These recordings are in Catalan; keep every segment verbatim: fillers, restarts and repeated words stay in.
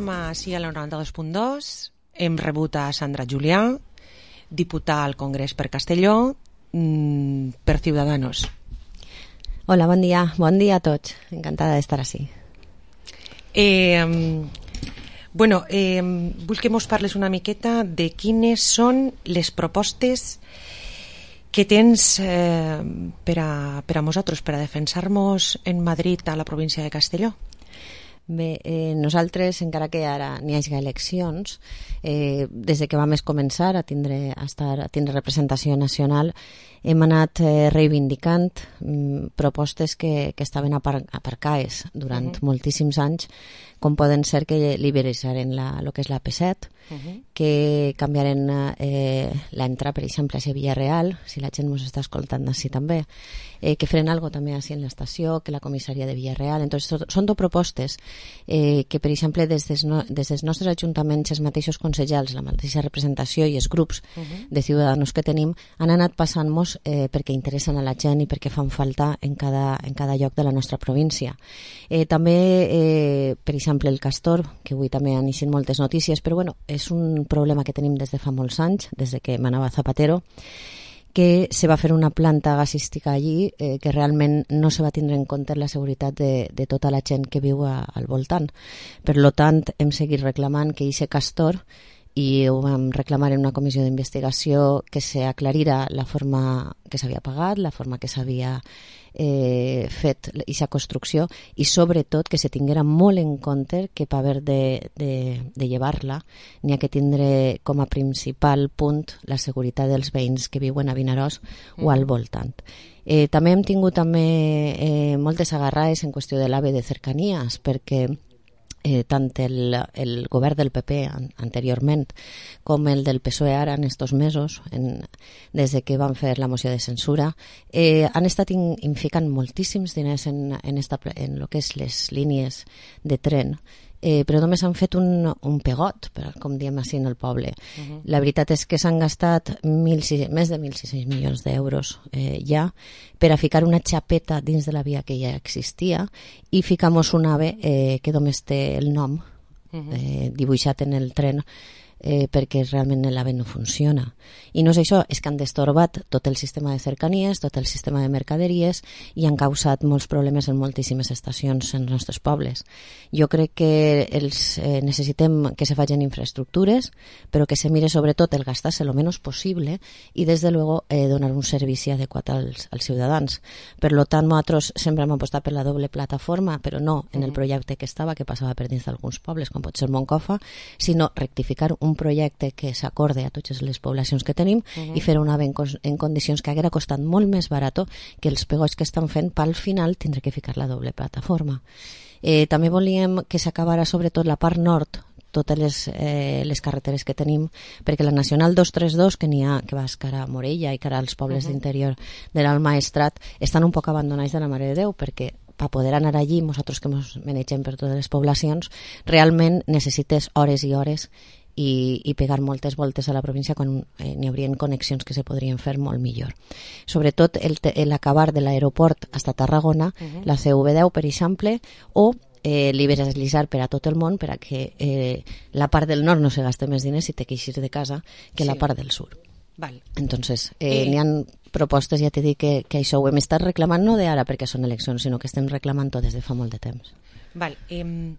Estem així a la noranta-dos punt dos, hem rebut a Sandra Julià, diputada al Congrés per Castelló, per Ciudadanos. Hola, bon dia. Bon dia a tots. Encantada d'estar així. Eh, bueno, eh, vull que mos parles una miqueta de quines són les propostes que tens eh, per a, per a nosaltres, per a defensar-nos en Madrid a la província de Castelló. Bé, eh, nosaltres, encara que ara n'hi hagi eleccions, eh, des de que vam començar a tindre, a estar, a tindre representació nacional, hem anat eh, reivindicant mm, propostes que, que estaven apar aparcades durant uh-huh. moltíssims anys, com poden ser que liberalitzaren el que és la P set, uh-huh. que canviaren eh, l'entrada, per exemple, a Villarreal, si la gent ens està escoltant així també, eh, que feren algo també així en l'estació, que la comissaria de Villarreal. Entonces, són dues propostes eh, que, per exemple, des dels, no, des dels nostres ajuntaments, els mateixos consellers, la mateixa representació i els grups uh-huh. de ciutadans que tenim, han anat passant-nos eh, perquè interessen a la gent i perquè fan falta en cada, en cada lloc de la nostra província. Eh, també, eh, per exemple, el Castor, que avui també han eixit moltes notícies, però bueno, és un problema que tenim des de fa molts anys, des de que manava Zapatero, que se va fer una planta gasística allí eh, que realment no se va tindre en compte la seguretat de, de tota la gent que viu a, al voltant. Per lo tant, hem seguit reclamant que aquest Castor, i ho vam reclamar en una comissió d'investigació, que s'aclarira la forma que s'havia pagat, la forma que s'havia eh, fet aquesta construcció, i sobretot que se tinguera molt en compte que per haver de, de, de llevar-la n'hi ha que tindre com a principal punt la seguretat dels veïns que viuen a Vinaròs mm. o al voltant. Eh, també hem tingut també eh, moltes agarrades en qüestió de l'AVE de cercanies, perquè Eh, tant el, el govern del P P an anteriorment com el del P S O E ara en estos mesos, en, des de que van fer la moció de censura, eh, han estat in, inficant moltíssims diners en, en, esta, en lo que és les línies de tren, eh, però només han fet un, un pegot, com diem així en el poble. Uh-huh. La veritat és que s'han gastat mil, més de mil sis-cents milions d'euros eh, ja per a ficar una xapeta dins de la via que ja existia i ficamos un AVE eh, que només té el nom uh-huh. eh, dibuixat en el tren eh, perquè realment l'AVE no funciona. I no és això, és que han destorbat tot el sistema de cercanies, tot el sistema de mercaderies i han causat molts problemes en moltíssimes estacions en els nostres pobles. Jo crec que els, eh, necessitem que se facin infraestructures, però que se mire sobretot el gastar-se el menys possible i, des de luego, eh, donar un servici adequat als, als ciutadans. Per lo tant, nosaltres sempre hem apostat per la doble plataforma, però no en el projecte que estava, que passava per dins d'alguns pobles, com pot ser Moncofa, sinó rectificar un projecte que s'acorde a totes les poblacions que tenim uh-huh. i fer una ben en condicions que haguera costat molt més barat que els pegots que estan fent, per al final tindre que ficar la doble plataforma. Eh, també volíem que s'acabara sobretot la part nord, totes les, eh, les carreteres que tenim, perquè la Nacional dos trenta dos, que n'hi ha, que va cara a Morella i cara als pobles uh-huh. d'interior de l'Alt Maestrat, estan un poc abandonats de la Mare de Déu, perquè per poder anar allí, nosaltres que ens manegem per totes les poblacions, realment necessites hores i hores i, i pegar moltes voltes a la província quan eh, n'hi haurien connexions que se podrien fer molt millor. Sobretot l'acabar de l'aeroport fins a Tarragona, uh-huh. la C V deu, per exemple, o eh, liberalitzar per a tot el món per a que eh, la part del nord no se gaste més diners i te queixis de casa que sí. la part del sud. Val. Entonces, eh, eh. n'hi ha propostes, ja t'he dit que, que això ho hem estat reclamant no d'ara perquè són eleccions, sinó que estem reclamant-ho des de fa molt de temps. Val. Eh,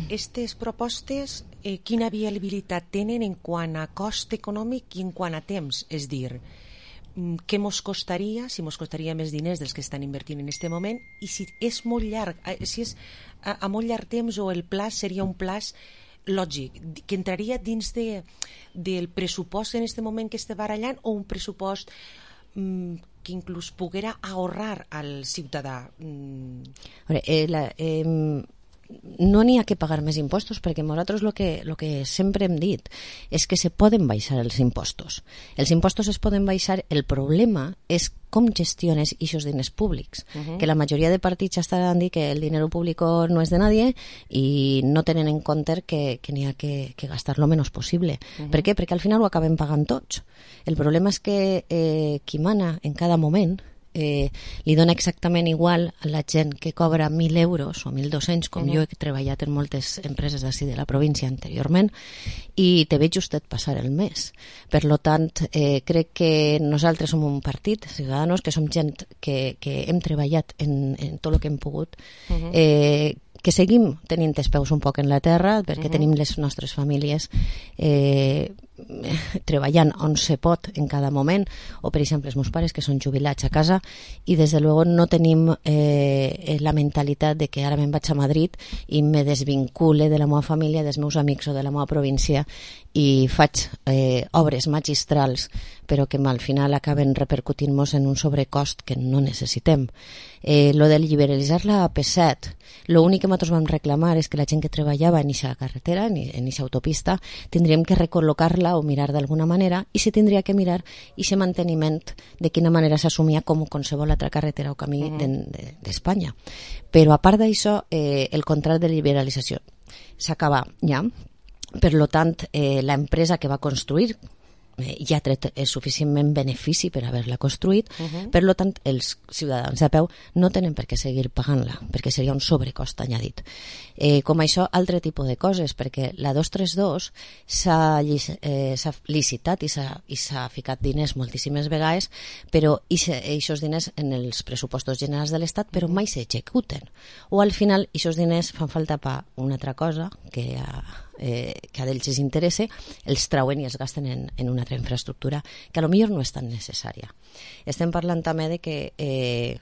Estes propostes, eh, quina viabilitat tenen en quant a cost econòmic i en quant a temps? És dir, què mos costaria, si mos costaria més diners dels que estan invertint en aquest moment, i si és molt llarg, si és a, a molt llarg temps o el plaç seria un plaç lògic, que entraria dins de, del pressupost en aquest moment que està barallant, o un pressupost mm, que inclús poguera ahorrar al ciutadà? Mm. Veure, eh, la, eh, no n'hi ha que pagar més impostos, perquè nosaltres el que, lo que sempre hem dit és que se poden baixar els impostos. Els impostos es poden baixar, el problema és com gestiones aquests diners públics, uh-huh. que la majoria de partits estaran dient que el dinero público no és de nadie i no tenen en compte que, que n'hi ha que, que gastar lo menys possible. Uh-huh. Per què? Perquè al final ho acabem pagant tots. El problema és que eh, qui mana en cada moment eh, li dona exactament igual a la gent que cobra mil euros o mil dos-cents, com uh-huh. jo he treballat en moltes empreses d'ací de la província anteriorment, i te veig justet passar el mes. Per lo tant, eh, crec que nosaltres som un partit, Ciudadanos, que som gent que, que hem treballat en, en tot el que hem pogut, uh-huh. eh, que seguim tenint els peus un poc en la terra, perquè uh-huh. tenim les nostres famílies eh, treballant on se pot en cada moment, o per exemple els meus pares que són jubilats a casa, i des de luego no tenim eh, la mentalitat de que ara me'n vaig a Madrid i me desvincule de la meva família, dels meus amics o de la meva província i faig eh, obres magistrals però que al final acaben repercutint-nos en un sobrecost que no necessitem. Eh, lo de liberalitzar la A P set, l'únic que nosaltres vam reclamar és que la gent que treballava en aquesta carretera, en aquesta autopista, tindríem que recol·locar-la o mirar d'alguna manera, i se tindria que mirar aquest manteniment de quina manera s'assumia com qualsevol altra carretera o camí mm. d'Espanya. Però a part d'això, eh, el contracte de liberalització s'acaba ja. Per lo tant, eh, l'empresa que va construir eh, ja ha tret eh, suficientment benefici per haver-la construït, uh-huh. per lo tant, els ciutadans a peu no tenen per què seguir pagant-la, perquè seria un sobrecost añadit. Eh, com això, altre tipus de coses, perquè la dos trenta dos s'ha eh, licitat i s'ha ficat diners moltíssimes vegades, però aquests diners en els pressupostos generals de l'Estat, però mai s'executen. O al final, aquests diners fan falta per una altra cosa que a Eh, que a ells els interessa, els trauen i els gasten en, en una altra infraestructura que a lo millor no és tan necessària. Estem parlant també de que eh,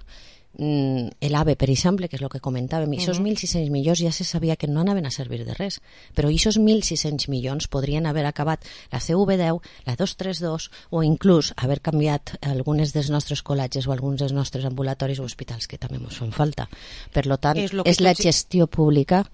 l'AVE, per exemple, que és el que comentàvem, uh-huh. aquests mil sis-cents milions ja se sabia que no anaven a servir de res, però aquests mil sis-cents milions podrien haver acabat la C V deu, la dos trenta dos o inclús haver canviat algunes dels nostres col·legis o alguns dels nostres ambulatoris o hospitals que també ens fan falta. Per lo tant, és, és la gestió pública.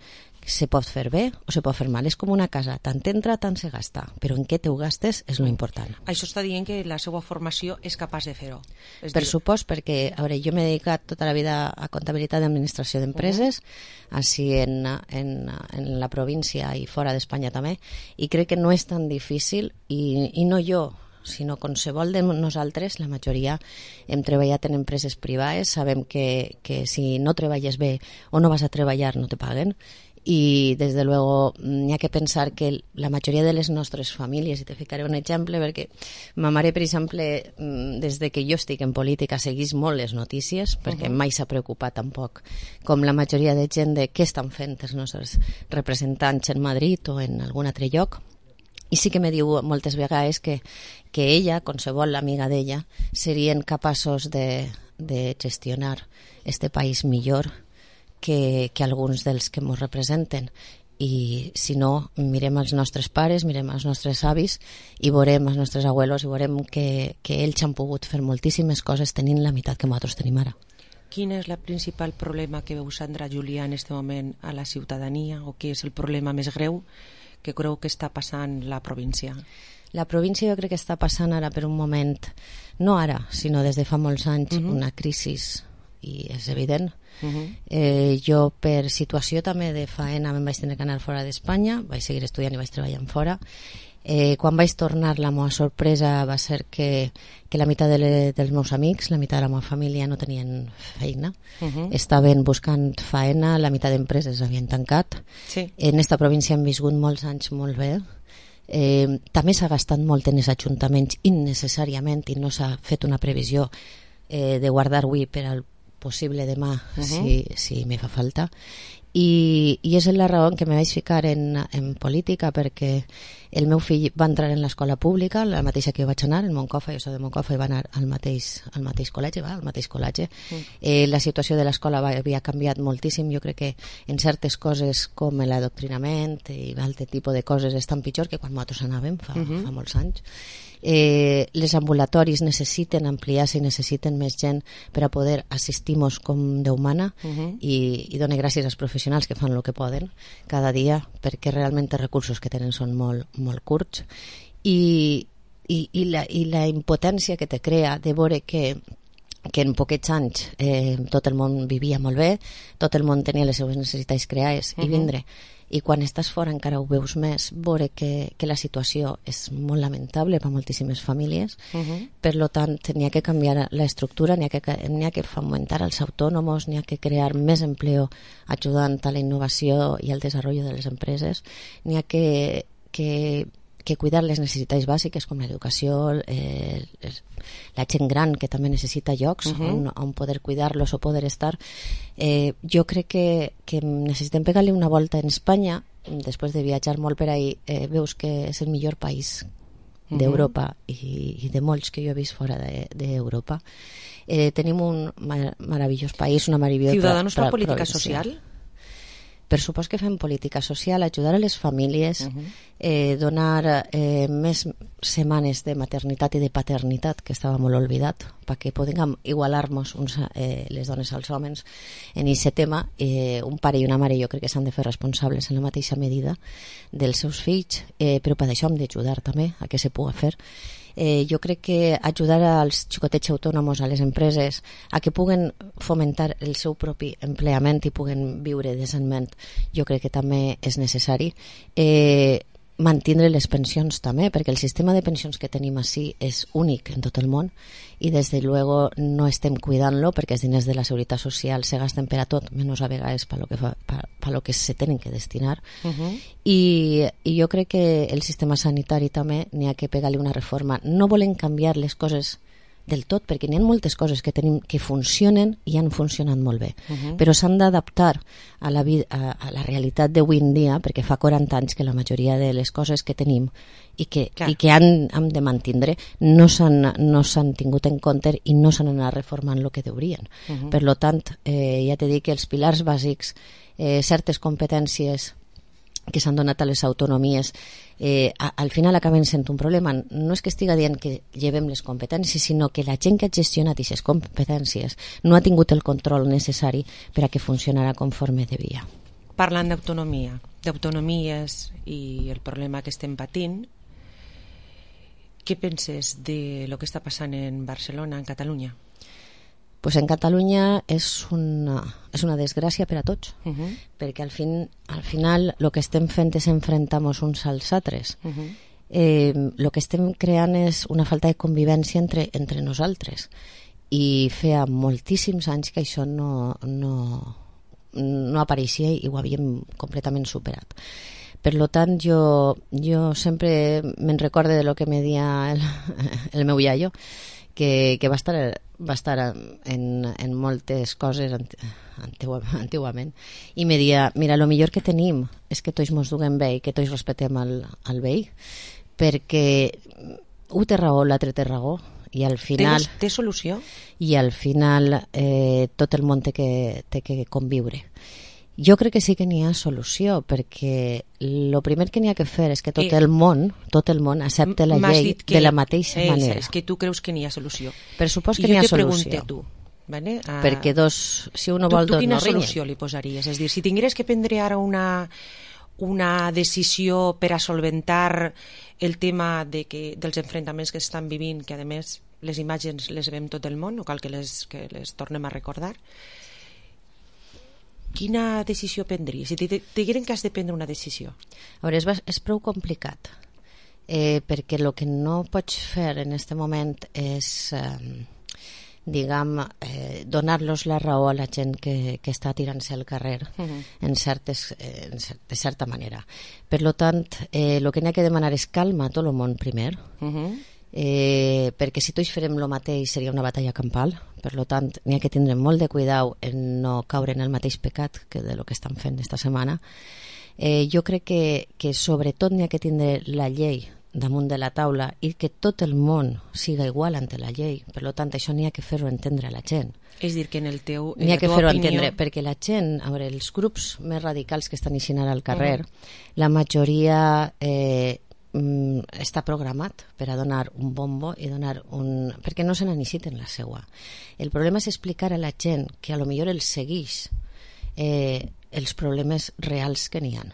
Se pot fer bé o se pot fer mal. És com una casa, tant entra, tant se gasta, però en què te ho gastes és lo important. Això està dient que la seva formació és capaç de fer-ho. Per dir... supost, perquè a veure, jo m'he dedicat tota la vida a comptabilitat d'administració d'empreses, uh-huh. així en, en, en la província i fora d'Espanya també, i crec que no és tan difícil, i, i no jo, sinó qualsevol de nosaltres, la majoria hem treballat en empreses privades, sabem que, que si no treballes bé o no vas a treballar no te paguen, i des de luego n'hi ha que pensar que la majoria de les nostres famílies, i te ficaré un exemple perquè ma mare, per exemple, des de que jo estic en política seguís molt les notícies, perquè uh-huh. mai s'ha preocupat tampoc com la majoria de gent de què estan fent els nostres representants en Madrid o en algun altre lloc. I sí que me diu moltes vegades que, que ella, qualsevol amiga d'ella, serien capaços de, de gestionar este país millor que, que alguns dels que ens representen. I si no, mirem els nostres pares, mirem els nostres avis i veurem els nostres abuelos i veurem que, que ells han pogut fer moltíssimes coses tenint la meitat que nosaltres tenim ara. Quin és el principal problema que veu Sandra Julià en aquest moment a la ciutadania, o què és el problema més greu que creu que està passant la província? La província jo crec que està passant ara per un moment, no ara, sinó des de fa molts anys, uh-huh. una crisi, i és evident. Uh-huh. Eh, jo per situació també de faena me'n vaig tenir que anar fora d'Espanya, vaig seguir estudiant i vaig treballant fora. Eh, quan vaig tornar, la meva sorpresa va ser que, que la meitat de le, dels meus amics, la meitat de la meva família no tenien feina, uh-huh. estaven buscant faena, la meitat d'empreses havien tancat. Sí. En esta província hem viscut molts anys molt bé. Eh, també s'ha gastat molt en els ajuntaments innecessàriament i no s'ha fet una previsió eh, de guardar avui per al possible demà, uh-huh. si, si me fa falta. I, i és la raó que me vaig ficar en, en política, perquè el meu fill va entrar en l'escola pública, la mateixa que jo vaig anar, en Moncofa, jo soc de Moncofa, i va anar al mateix, al mateix col·legi, va, al mateix col·legi. Uh-huh. Eh, la situació de l'escola havia canviat moltíssim, jo crec que en certes coses com l'adoctrinament i altre tipus de coses estan pitjor que quan nosaltres anàvem fa, uh-huh. fa molts anys. Eh, les ambulatoris necessiten ampliar-se i necessiten més gent per a poder assistir-nos com Déu mana, uh-huh. i, i dono gràcies als professionals que fan el que poden cada dia, perquè realment els recursos que tenen són molt, molt curts, i, i, i, la, i la impotència que te crea de veure que que en poquets anys eh, tot el món vivia molt bé, tot el món tenia les seves necessitats creades, uh-huh. i vindre i quan estàs fora encara ho veus més, veure que, que la situació és molt lamentable per a moltíssimes famílies. Uh-huh. Per lo tant, n'hi ha que canviar l'estructura, n'hi ha que, n'hi ha que fomentar els autònoms, n'hi ha que crear més empleo ajudant a la innovació i al desenvolupament de les empreses, n'hi ha que, que que cuidar les necessitats bàsiques com l'educació, eh, la gent gran que també necessita llocs uh-huh. on, on poder cuidar-los o poder estar. Eh, jo crec que, que necessitem pegar-li una volta en Espanya. Després de viatjar molt per ahí, eh, veus que és el millor país d'Europa uh-huh. i, i de molts que jo he vist fora d'Europa. De, eh, tenim un mar meravellós país, una meravellosa... Ciudadanos per política social? Per supost que fem política social, ajudar a les famílies, uh-huh. eh, donar eh, més setmanes de maternitat i de paternitat, que estava molt oblidat, perquè puguem igualar-nos eh, les dones als homes en aquest tema. Eh, un pare i una mare jo crec que s'han de fer responsables en la mateixa medida dels seus fills, eh, però per això hem d'ajudar també a que se pugui fer. Eh, jo crec que ajudar als xicotets autònoms, a les empreses, a que puguen fomentar el seu propi empleament i puguen viure decentment, jo crec que també és necessari. Eh, mantindre les pensions també, perquè el sistema de pensions que tenim així és únic en tot el món i des de luego no estem cuidant-lo perquè els diners de la Seguretat Social se gasten per a tot, menys a vegades per lo que, fa, per, per lo que se tenen que destinar. Uh-huh. I, i jo crec que el sistema sanitari també n'hi ha que pegar-li una reforma. No volen canviar les coses del tot, perquè n'hi ha moltes coses que tenim que funcionen i han funcionat molt bé, uh-huh. però s'han d'adaptar a, la vida, a, a la realitat d'avui en dia, perquè fa quaranta anys que la majoria de les coses que tenim i que, i que han, han de mantindre no s'han no s'han tingut en compte i no s'han anat reformant el que deurien. Uh-huh. Per lo tant, eh, ja t'he dit que els pilars bàsics, eh, certes competències que s'han donat a les autonomies, eh, a, al final acaben sent un problema. No és que estiga dient que llevem les competències, sinó que la gent que ha gestionat aquestes competències no ha tingut el control necessari per a que funcionara conforme devia. Parlant d'autonomia, d'autonomies i el problema que estem patint, què penses de lo que està passant en Barcelona, en Catalunya? Pues en Catalunya és una, és una desgràcia per a tots, uh-huh. perquè al, fin, al final el que estem fent és enfrentar-nos uns als altres. Uh-huh. Eh, el que estem creant és una falta de convivència entre, entre nosaltres i feia moltíssims anys que això no, no, no apareixia i ho havíem completament superat. Per lo tant, jo, jo sempre me'n recorde de lo que me dia el, el meu iaio, que, que va estar, va estar en, en moltes coses antigu, antiguament, i me dia, mira, lo millor que tenim és que tots mos duguem bé i que tots respetem al, al veí, perquè un té raó, l'altre té raó, i al final... Té, té solució? I al final eh, tot el món té que, té que conviure. Jo crec que sí que n'hi ha solució, perquè el primer que n'hi ha que fer és que tot el món, tot el món accepte la llei que, de la mateixa és, manera. És que tu creus que n'hi ha solució. Per supòs que n'hi ha solució. I jo te pregunto a tu, vale? Uh, perquè dos, si uno vol, tu, tu dos no ringen. Quina solució li posaries? És dir, si tingueres que prendre ara una, una decisió per a solventar el tema de que, dels enfrontaments que estan vivint, que a més les imatges les veiem tot el món, no cal que les, que les tornem a recordar, quina decisió prendries? Si te digueren que has de prendre una decisió. A veure, és, és prou complicat, eh, perquè el que no pots fer en aquest moment és, eh, diguem, eh, donar-los la raó a la gent que, que està tirant-se al carrer, uh-huh. en, certes, eh, en cert, de certa manera. Per lo tant, eh, el que n'hi ha que demanar és calma a tot el món primer, uh-huh. eh, perquè si tots farem el mateix seria una batalla campal. Per lo tant, n'hi ha que tindre molt de cuidau en no caure en el mateix pecat que de lo que estan fent esta setmana. Eh, jo crec que, que sobretot n'hi ha que tindre la llei damunt de la taula i que tot el món siga igual ante la llei. Per lo tant, això n'hi ha que fer-ho entendre a la gent. És dir, que en el teu en n'hi ha que fer-ho opinió... entendre, perquè la gent, a veure, els grups més radicals que estan eixint ara al carrer, uh-huh. la majoria... Eh, està programat per a donar un bombo i donar un... perquè no se n'aniciten la seua. El problema és explicar a la gent que a lo millor els segueix eh, els problemes reals que n'hi ha.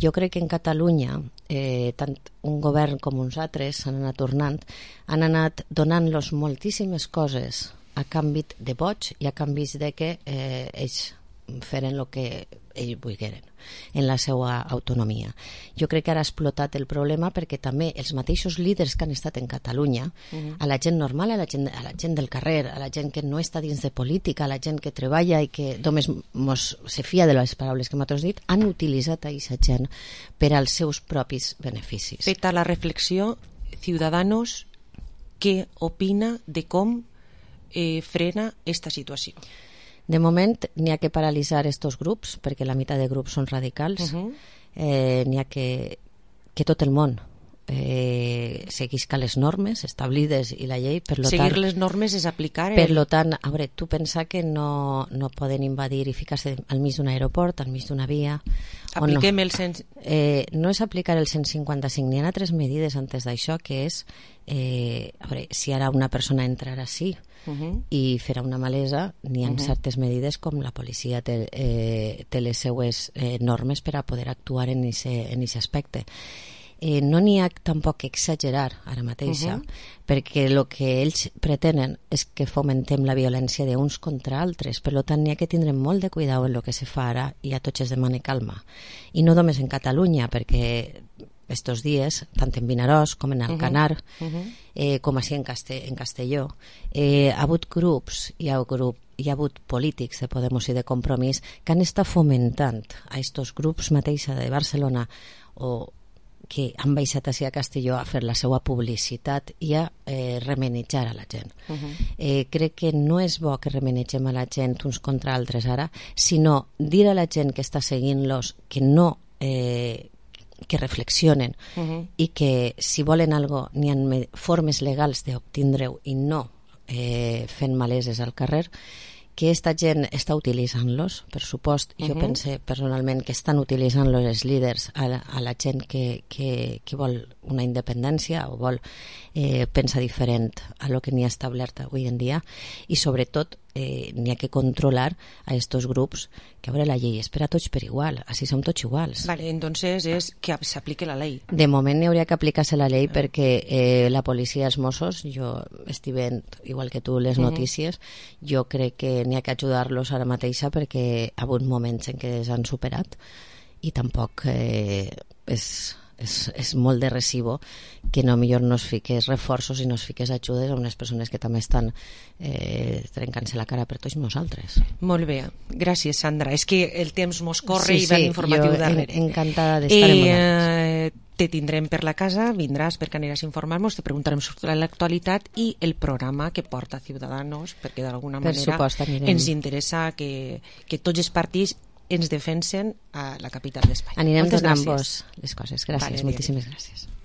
Jo crec que en Catalunya eh, tant un govern com uns altres s'han anat tornant, han anat donant-los moltíssimes coses a canvi de vots i a canvi de que eh, ells feren el que ells volgueren en la seva autonomia. Jo crec que ara ha explotat el problema perquè també els mateixos líders que han estat en Catalunya, uh-huh. a la gent normal, a la gent, a la gent del carrer, a la gent que no està dins de política, a la gent que treballa i que només mos se fia de les paraules que m'has dit, han utilitzat a aquesta gent per als seus propis beneficis. Feta la reflexió, Ciudadanos, què opina de com eh, frena esta situació? De moment n'hi ha que paralitzar estos grups perquè la meitat de grups són radicals. Uh-huh. eh, n'hi ha que, que tot el món eh, seguisca les normes establides i la llei. Per lo Seguir tant, les normes és aplicar... El... Per lo tant, a veure, tu pensa que no, no poden invadir i ficar-se al mig d'un aeroport, al mig d'una via... Apliquem no. el cent... Eh, no és aplicar el cent cinquanta-cinc, n'hi ha altres medides antes d'això, que és, eh, a veure, si ara una persona entrarà així, Uh-huh. i farà una malesa, n'hi ha uh-huh. certes medides com la policia té, eh, té les seues eh, normes per a poder actuar en aquest aspecte. Eh, no n'hi ha tampoc que exagerar ara mateixa, uh-huh. perquè el que ells pretenen és que fomentem la violència d'uns contra altres, per tant n'hi ha que tindre molt de cuidado en el que se fa ara i a tots es demana calma. I no només en Catalunya, perquè estos dies, tant en Vinaròs com en Alcanar, uh-huh. Uh-huh. Eh, com així en, Caste en Castelló, eh, ha hagut grups, hi ha, grup, hi ha hagut polítics de Podemos i de Compromís que han estat fomentant a estos grups mateixa de Barcelona o que han baixat així a Castelló a fer la seva publicitat i a eh, remenitjar a la gent. Uh-huh. Eh, crec que no és bo que remenitgem a la gent uns contra altres ara, sinó dir a la gent que està seguint-los que no... Eh, que reflexionen uh-huh. i que si volen algo n'hi ha formes legals d'obtindre-ho i no eh, fent maleses al carrer, que esta gent està utilitzant-los, per supost. Uh-huh. Jo pense personalment que estan utilitzant-los els líders a la, a la gent que, que, que vol una independència o vol eh, pensar diferent a lo que n'hi ha establert avui en dia, i sobretot eh, n'hi ha que controlar a estos grups, que a veure, la llei és per a tots per igual, així som tots iguals. Vale, entonces és que s'aplique la llei. De moment n'hi hauria que aplicar-se la llei perquè eh, la policia, els Mossos, jo estic veient, igual que tu, les notícies, uh-huh. jo crec que n'hi ha que ajudar-los ara mateixa perquè ha hagut moments en què s'han superat i tampoc eh, és... És, és molt de recibo que no millor no es fiques reforços i no es fiques ajudes a unes persones que també estan eh, trencant-se la cara per tots nosaltres. Molt bé, gràcies Sandra, és que el temps mos corre sí, i va sí, informatiu jo darrere. En, encantada d'estar eh, en vosaltres. Te tindrem per la casa, vindràs perquè aniràs a informar-nos, te preguntarem sobre l'actualitat i el programa que porta Ciudadanos, perquè d'alguna manera supost, ens interessa que, que tots els partits ens defensen a la capital d'Espanya. Anirem Moltes donant gràcies. vos les coses. Gràcies, vale, moltíssimes gràcies.